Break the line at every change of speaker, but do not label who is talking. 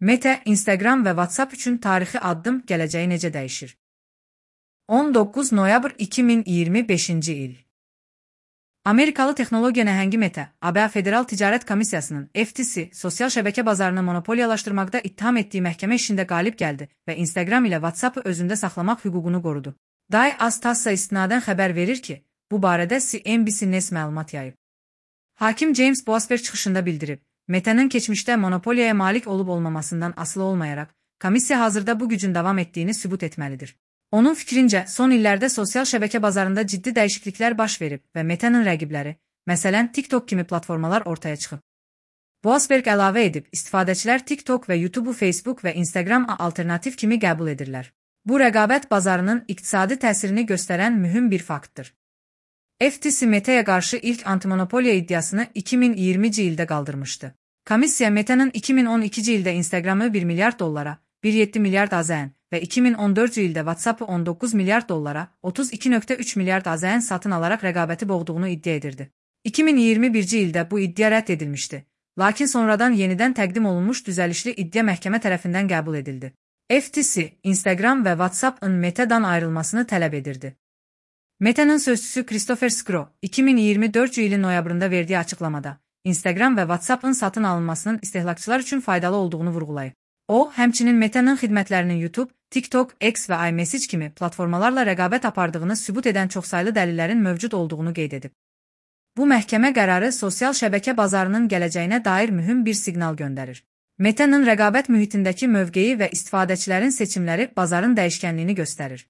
Meta, Instagram və WhatsApp üçün tarixi addım gələcəyi necə dəyişir? 19 noyabr 2025-ci il. Amerikalı texnologiya nəhəngi Meta, ABŞ Federal Ticarət Komissiyasının FTC sosial şəbəkə bazarını monopoliyalaşdırmaqda ittiham etdiyi məhkəmə işində qalib gəldi və Instagram ilə WhatsApp-ı özündə saxlamaq hüququnu qorudu. Day Az-Tassa istinadən xəbər verir ki, bu barədə CNBC News məlumat yayıb. Hakim James Boasberg çıxışında bildirib, Meta'nın keçmişdə monopoliyaya malik olub-olmamasından asılı olmayaraq, komissiya hazırda bu gücün davam etdiyini sübut etməlidir. Onun fikrincə, son illərdə sosial şəbəkə bazarında ciddi dəyişikliklər baş verib və Meta'nın rəqibləri, məsələn TikTok kimi platformalar ortaya çıxıb. Boasberg əlavə edib, istifadəçilər TikTok və YouTube-u Facebook və Instagram alternativ kimi qəbul edirlər. Bu rəqabət bazarının iqtisadi təsirini göstərən mühüm bir faktdır. FTC Meta'ya qarşı ilk antimonopoliya iddiasını 2020-ci ildə qaldırmışdı. Komissiya Meta'nın 2012-ci ildə Instagram'ı 1 milyard dollara, 1,7 milyard AZN və 2014-cü ildə WhatsApp-ı 19 milyard dollara, 32,3 milyard AZN satın alaraq rəqabəti boğduğunu iddia edirdi. 2021-ci ildə bu iddia rədd edilmişdi, lakin sonradan yenidən təqdim olunmuş düzəlişli iddia məhkəmə tərəfindən qəbul edildi. FTC, Instagram və WhatsApp-ın Meta'dan ayrılmasını tələb edirdi. Meta'nın sözçüsü Christopher Skro, 2024-cü ilin noyabrında verdiyi açıqlamada, Instagram və WhatsApp-ın satın alınmasının istehlakçılar üçün faydalı olduğunu vurğulayıb. O, həmçinin Meta'nın xidmətlərinin YouTube, TikTok, X və iMessage kimi platformalarla rəqabət apardığını sübut edən çoxsaylı dəlillərin mövcud olduğunu qeyd edib. Bu məhkəmə qərarı sosial şəbəkə bazarının gələcəyinə dair mühüm bir siqnal göndərir. Meta'nın rəqabət mühitindəki mövqeyi və istifadəçilərin seçimləri bazarın dəyişkənliyini göstərir.